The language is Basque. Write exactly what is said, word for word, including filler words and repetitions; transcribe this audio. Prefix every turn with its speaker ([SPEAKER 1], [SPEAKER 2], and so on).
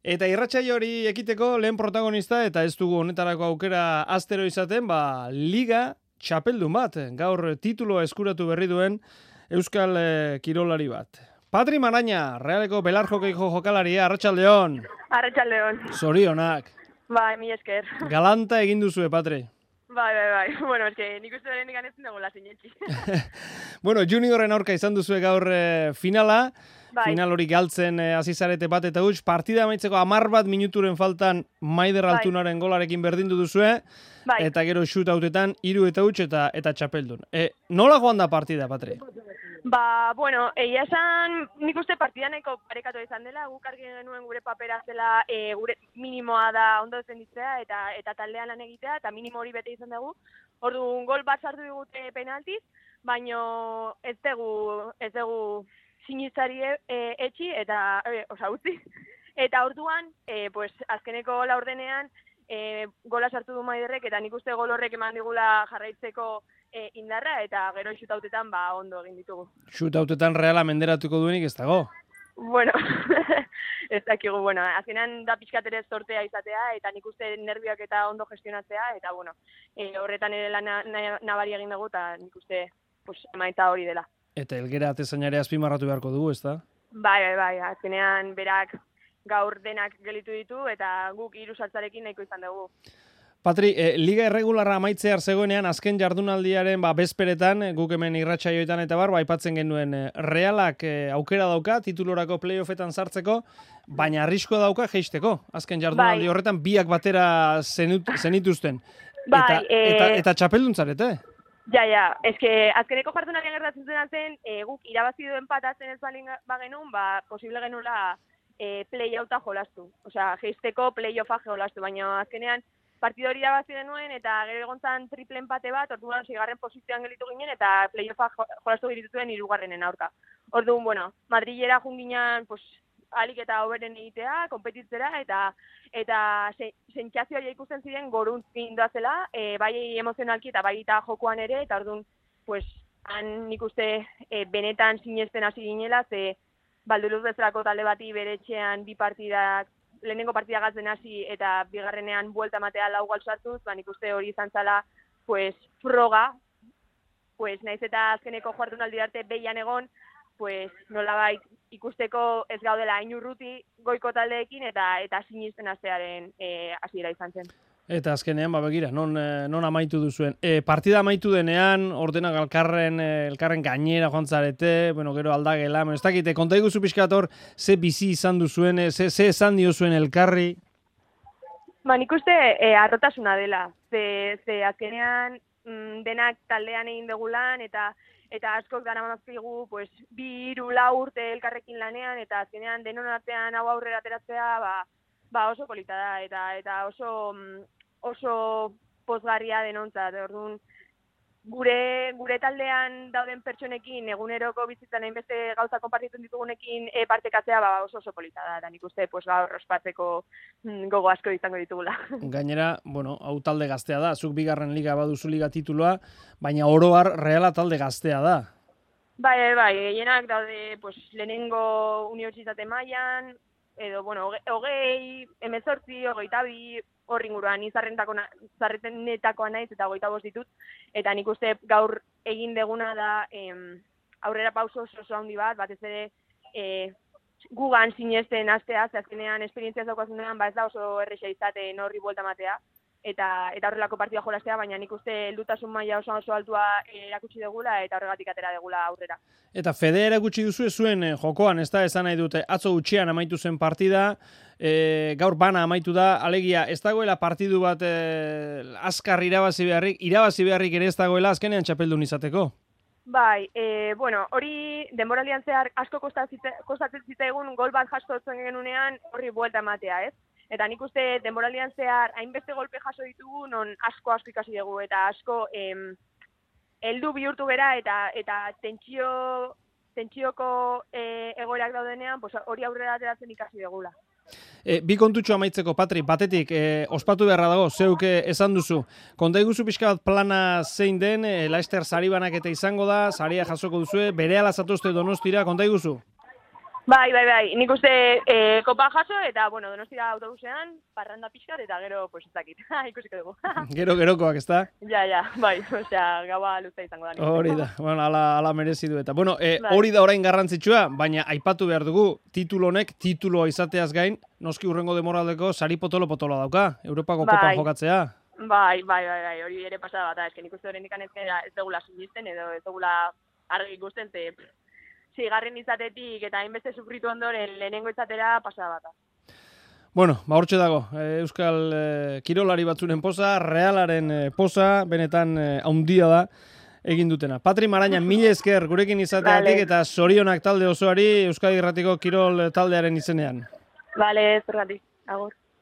[SPEAKER 1] Eta irratsaio hori ekiteko lehen protagonista eta ez dugu honetarako aukera astero izaten, ba, Liga txapeldun bat, gaur tituloa eskuratu berri duen Euskal eh, kirolari bat. Patri Maraña, Realeko belarjokeiko jokalaria, arratsaldeon.
[SPEAKER 2] Arratsaldeon.
[SPEAKER 1] Zorionak.
[SPEAKER 2] Bai, mi esker.
[SPEAKER 1] Galanta egin duzue, Patri.
[SPEAKER 2] Bai, bai, bai. Bueno, eske nik uste berenik anetzen dugu la sinetxi.
[SPEAKER 1] Bueno, juniorren aurka izan duzue gaur eh, finala.
[SPEAKER 2] Bai.
[SPEAKER 1] Final hori galtzen eh, hasi zarete bat eta huts, partida amaitzeko hamar bat minuturen faltan Maider
[SPEAKER 2] Bai.
[SPEAKER 1] Altunaren golarekin berdindu duzue,
[SPEAKER 2] Bai.
[SPEAKER 1] eta gero shootoutetan hiru eta huts eta eta txapeldun. E, nola joan da partida, Patri?
[SPEAKER 2] Ba, bueno, egia esan nik uste partida nahiko parekatu izan dela, guk argi genuen gure papera zela e, gure minimoa da ondo defenditzea eta eta taldean lan egitea, eta minimo hori bete izan dugu. Orduan gol bat sartu digute penaltiz, baino ez dugu, ez dugu sinistari e, etxi eta, e, osa, utzi. Eta orduan, e, pues, azkeneko laurdenean, e, gola sartu du Maiderrek, eta nik uste gol horrek eman digula jarraitzeko e, indarra, eta gero shootoutetan ba ondo egin ditugu.
[SPEAKER 1] Shootoutetan Reala menderatuko duenik ez dago.
[SPEAKER 2] Bueno, ez dakigu, bueno, azkenan da pixkatere sortea izatea, eta nik uste nervioak eta ondo gestionatzea, eta bueno, e, horretan ere lan nabari egin dugu, eta nik uste pues, emaitza hori dela.
[SPEAKER 1] Eta Elgera atezainare azpimarratu beharko dugu, ezta?
[SPEAKER 2] Bai, bai, bai, azkenean berak gaur denak gelitu ditu, eta guk hiru saltzarekin nahiko izan dugu.
[SPEAKER 1] Patri, eh, Liga irregularra amaitzear zegoenean, azken jardunaldiaren ba, bezperetan, eh, guk hemen irratsaioetan eta bar, ba, aipatzen genuen eh, Realak eh, aukera dauka, titulorako playoffetan sartzeko, baina arriskoa dauka jeisteko. Azken jardunaldi
[SPEAKER 2] Bai.
[SPEAKER 1] horretan biak batera zenut, zenituzten.
[SPEAKER 2] Bai,
[SPEAKER 1] eta,
[SPEAKER 2] eh,
[SPEAKER 1] eta, eta txapeldun zarete?
[SPEAKER 2] Ja, ja, eske azkeneko jardunaldian gertatzen zen zen, e, guk irabazi duen patatzen ez balin bagenun, ba, posible genula e, play-outa jolastu. Osea, jeisteko play-offa jolastu, baina azkenean partido hori irabazi genuen, eta gero egontzan triple empate bat, orduan seigarren posizioan gelitu ginen, eta play-offa jolastu girituen hirugarrenen aurka. Orduan, bueno, Madrilera junginan, pues, alik eta hoberen egitea, konpetitzera, eta eta sentsazioa ikusten ziren goruntz indoazela, e, bai emozionalki eta bai eta jokoan ere, eta orduan, pues, han nik uste e, benetan sinesten hasi ginela, ze Balduruz bezalako talde bati bere etxean bi partidak, lehenengo partida gazten hasi eta bigarrenean buelta matea lau gol sartuz, ba nik uste hori izan zala, pues, froga, pues, naiz eta azkeneko jardunaldi arte behian egon, pues, nolabait ikusteko ez gaudela hain urruti goiko taldeekin eta eta sinisten hastearen eh, hasiera izan zen.
[SPEAKER 1] Eta azkenean, ba begira, non, eh, non amaitu duzuen. E, partida amaitu denean, ordenak elkarren, eh, elkarren gainera joan zarete, bueno, gero aldagela, ez dakite, konta iguzu pixkat hor, ze bizi izan duzuen, ze, ze esan diozuen elkarri?
[SPEAKER 2] Ba, nik uste eh, arrotasuna dela, ze, ze azkenean mm, denak taldean egin dugu lan, eta eta askok dara manazkigu, pues, bi, hiru, lau urte elkarrekin lanean, eta azkenean denon artean hau aurrera ateratzea, ba, ba oso polita da, eta eta oso oso pozgarria denontzat. Orduan, gure gure taldean dauden pertsonekin eguneroko bizitzan hainbeste gauza konpartitzen ditugunekin e, partekatzea ba oso oso polita da, eta nik uste pues gaur ospatzeko mm, gogo asko izango ditugula.
[SPEAKER 1] Gainera, bueno, hau talde gaztea da, zuk bigarren liga baduzu liga tituloa, baina oro har Reala talde gaztea da.
[SPEAKER 2] Bai, bai, bai, gehienak daude pues lehenengo unibertsitate mailan, edo, bueno, hogei, hemezortzi, hogeita bi, hor inguruan, izarrenetakoa naiz eta hogeita bost ditut, eta nik uste gaur egin deguna da em, aurrera pauso oso oso handi bat, batez ere e, gugan sinesten hastea, ze azkenean esperientzia daukazunean, ba ez da oso erresa izaten horri buelta matea, eta eta horrelako partida jolastea, baina nik uste heldutasun maila oso oso altua erakutsi degula eta horregatik atera degula aurrera.
[SPEAKER 1] Eta fede erakutsi duzu zuen eh, jokoan, ez da, esan nahi dute, atzo utxean amaitu zen partida, e, gaur bana amaitu da, alegia, ez dagoela partidu bat e, azkar irabazi beharrik, irabazi beharrik ere ez dagoela azkenean txapeldun izateko?
[SPEAKER 2] Bai, e, bueno, hori denboraldian zehar asko kostatzen zitzaigun gol bat jasotzen genunean horri buelta ematea, ez? Eta nik uste denboraldian zehar hainbeste golpe jaso ditugu, non asko asko ikasi dugu, eta asko em, heldu bihurtu gera, eta eta tentsio, tentsioko e, egoerak daudenean, pues, hori aurrera ateratzen ikasi dugula.
[SPEAKER 1] E, bi kontutxo amaitzeko, Patri, batetik, e, ospatu beharra dago, zeuk esan duzu. Konta iguzu pixka bat plana zein den, e, Laster sari banaketa izango da, saria jasoko duzue, berehala zatozte Donostira, konta iguzu?
[SPEAKER 2] Bai, bai, bai. Nik uste e, kopa jaso eta, bueno, Donostira autobusean, parranda pixkat eta gero, pues ez dakit. Ikusiko dugu.
[SPEAKER 1] Gero gerokoak, ezta?
[SPEAKER 2] Ja, ja, bai. Osea, gaua luza izango da.
[SPEAKER 1] Hori da. Bueno, ala, ala merezi du eta. Bueno, e,
[SPEAKER 2] Bai.
[SPEAKER 1] hori da orain garrantzitsua, baina aipatu behar dugu titulo honek, tituloa izateaz gain, noski hurrengo demoraldeko sari potolo-potoloa dauka, Europako
[SPEAKER 2] Bai.
[SPEAKER 1] kopan jokatzea.
[SPEAKER 2] Bai, bai, bai, bai, hori ere pasada bat, ez nik uste horren ikan ez ez dugula sinisten edo ez dugula argi ikusten, ze zigarren izatetik eta hainbeste sufritu ondoren lehenengo izatera pasada bat.
[SPEAKER 1] Bueno, ba hortxe dago, e, Euskal e, kirolari batzuren poza, Realaren e, poza, benetan e, haundia da egin dutena. Patri Maraña, mila esker gurekin izateatik
[SPEAKER 2] Vale.
[SPEAKER 1] eta zorionak talde osoari Euskadi Irratiko kirol taldearen izenean.
[SPEAKER 2] Bale, zergatik, agur.